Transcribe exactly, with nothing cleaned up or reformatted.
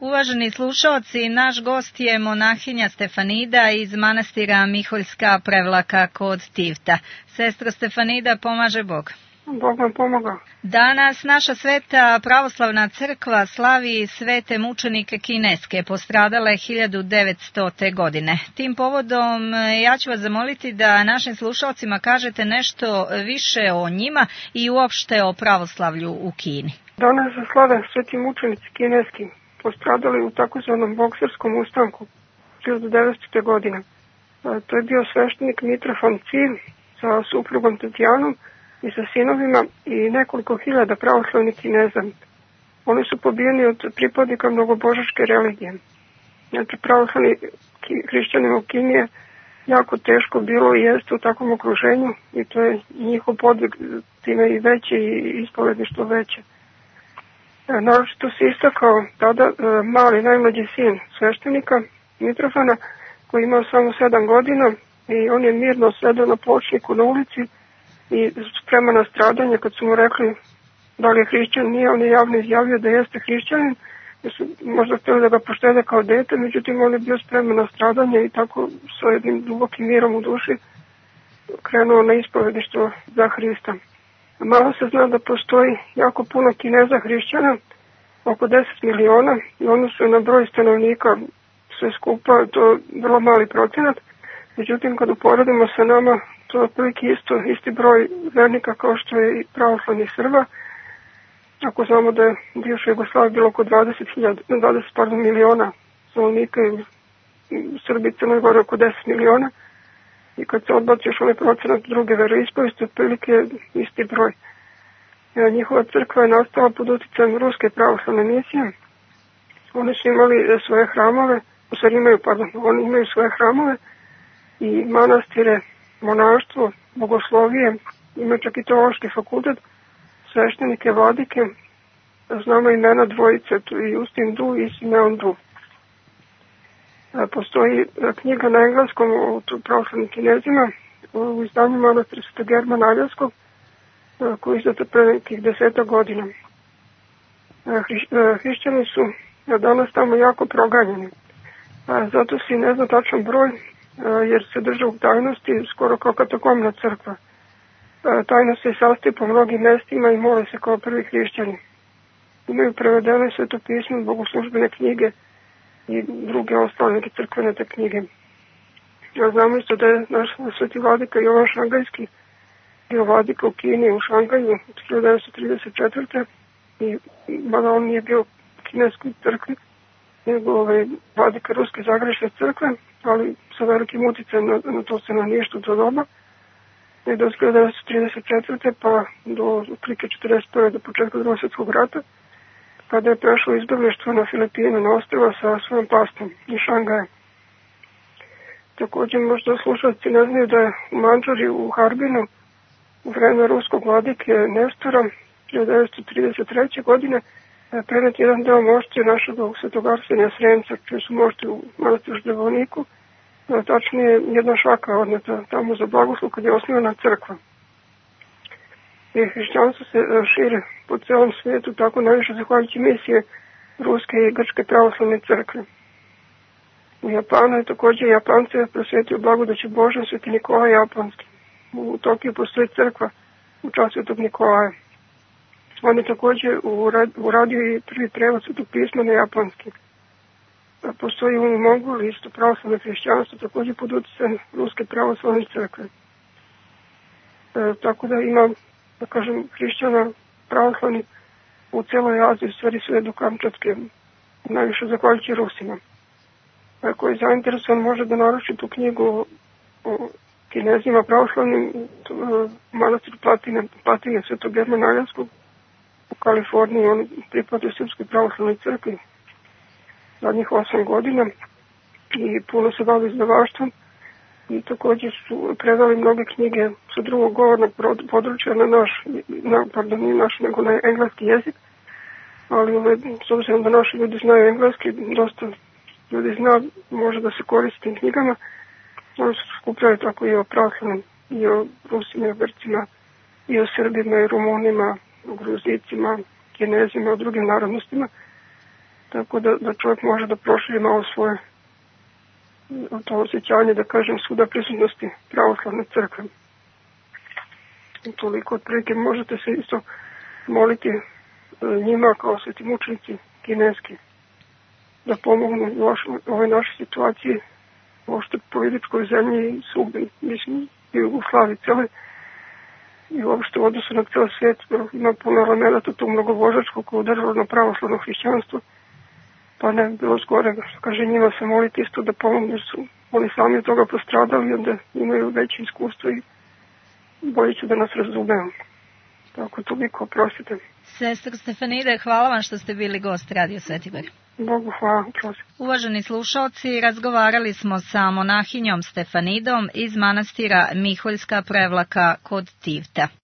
Uvaženi slušaoci, naš gost je monahinja Stefanida iz manastira Miholjska Prevlaka kod Tivta. Sestra Stefanida, pomaže Bog. Bog vam pomoga. Danas naša sveta pravoslavna crkva slavi svete mučenike kineske, postradale hiljadu devetstote. godine. Tim povodom ja ću vas zamoliti da našim slušalcima kažete nešto više o njima i uopšte o pravoslavlju u Kini. Danas se slave sveti mučenici kineski, postradali u takozvanom bokserskom ustanku hiljadu devetstote. godine. To je bio sveštenik Mitrofan Cir sa suprugom Tatjanom i sa sinovima i nekoliko hiljada pravoslavnih Kineza. Oni su pobijeni od pripadnika mnogobožačke religije. Znači, pravoslavni hrišćanima u Kini je jako teško bilo i jeste u takvom okruženju i to je njihov podvig time i veće i ispovedništvo veće. Naročito se istakao tada mali najmlađi sin sveštenika Mitrofana koji imao samo sedam godina i on je mirno sedao na pločniku na ulici i spreman na stradanje. Kad su mu rekli da li je hrišćan, nije, on je javno izjavio da jeste hrišćanin, jer su možda htjeli da ga poštede kao dete, međutim on je bio spreman na stradanje i tako sa jednim dubokim mirom u duši krenuo na ispovedništvo za Hrista. Malo se zna da postoji jako puno Kineza hrišćana, oko deset miliona, i oni su na broj stanovnika sve skupa, to je vrlo mali procenat. Međutim, kad uporedimo sa nama, to je otprilike isto, isti broj vernika kao što je i pravoslavnih Srba. Ako znamo da je u bivšoj Jugoslaviji bilo oko dvadeset miliona stanovnika i u Srbiji i Crnoj Gori oko deset miliona. I kad se odbaci još onaj procenat druge veroispovesti, otprilike isti broj. Njihova crkva je nastala pod uticajem ruske pravoslavne misije. Oni su imali svoje hramove, u stvari imaju, pardon, oni imaju svoje hramove i manastire, monaštvo, bogoslovije, imaju čak i teološki fakultet, sveštenike, vladike, znamo imena dvojice, i Justin Du i Simeon Du. Postoji knjiga na engleskom o pravoslavnim Kinezima u izdanju manastira Svetog Germana Aljevskog, koji je izdata pre nekih deseta godina. Hrišćani su danas tamo jako proganjeni. Zato se ne zna tačan broj, jer se drže u tajnosti skoro kao katakomna crkva. Tajno se sastoji po mnogim mestima i mole se kao prvi hrišćani. Imaju prevedene svetopisme, bogoslužbene knjige i druge ostale neke crkvene te knjige. Ja znamo isto da je naš sveti vladika Jovan Šangajski bio vladika u Kini, u Šangaju od hiljadu devetsto trideset četvrte. i mada on nije bio u kineskoj crkvi, nego ovaj, vladika Ruske Zagrebačke crkve, ali sa velikim uticajem na, na to stanovništvo do doba. I do hiljadu devetsto trideset četvrte pa do otprilike četrdeset prve do početka Drugog svjetskog rata, kada je prešlo izbjeglištvo na Filipine, na ostrva sa svojom pastom iz Šangaja. Također možda slušalci ne znaju da je u Mandžari u Harbinu u vreme ruskog vladike Nestora hiljadu devetsto trideset treće. godine prenet jedan deo mošće našeg svetog Arsenija Sremca, čiji su mošti u manastiru Ždevoniku, tačnije jedna šaka odneta tamo za blagoslov kad je osnovana crkva. I hrišćanstvo se šire po celom svijetu, tako najviše zahvaljujući misije Ruske i Grčke pravoslavne crkve. U Japanu je također Japance prosvetio blagodaću Božja sveti Nikolaj Japanski. U Tokiju postoji crkva u čast svetog Nikolaja. On je također uradio i prvi prevod svetog pisma na japanski. Postoji u Mongoliji isto pravoslavno hrišćanstvo, također pod utjecajem Ruske pravoslavne crkve. E, tako da ima, da kažem, hrišćana pravoslavni u celoj Aziji, u stvari sve do Kamčatske, najviše zahvaljujući Rusima. Ako je zainteresovan, može da naruči tu knjigu o, o Kinezima pravoslavnim u manastiru Platine, Platine Svetog Germana Aljevskog u Kaliforniji. On pripada Srpskoj pravoslavnoj crkvi zadnjih osam godina i puno se bavi izdavaštvom i također su predali mnoge knjige sa drugog govornog područja na naš, na, pardon, nije naš, nego na engleski jezik, ali ove, s obzirom da naši ljudi znaju engleski, dosta ljudi zna, može da se koristi tim knjigama. Oni su skupljali tako i o pravoslavnim, i o Rusima, i o Grcima, i o Srbima, i Rumunima, o Gruzicima, Kinezima, o drugim narodnostima. tako da, da čovjek može da proširi malo svoje to osjećanje, da kažem, suda prisutnosti pravoslavne crkve. I toliko otprilike možete se isto moliti njima kao sveti mučenici kineski da pomognu u ovoj našoj situaciji, uopšte političkoj zemlji i svugde, mislim, i u Jugoslaviji cele, i uopšte u odnosu na ceo svijet. Ima puno elemenata tog mnogobožačkog kao državno pravoslavno hrišćanstvo, pa ne bi bilo zgorega, što kaže, njima se moliti isto da pomognu, jer su oni sami od toga postradali, onda imaju veće iskustvo i bolje će da nas razumemo. Tako, toliko, oprostite. Sestra Stefanida, hvala vam što ste bili gost Radio Svetibor. Bogu hvala, prosim. Uvaženi slušalci, razgovarali smo sa monahinjom Stefanidom iz manastira Miholjska Prevlaka kod Tivta.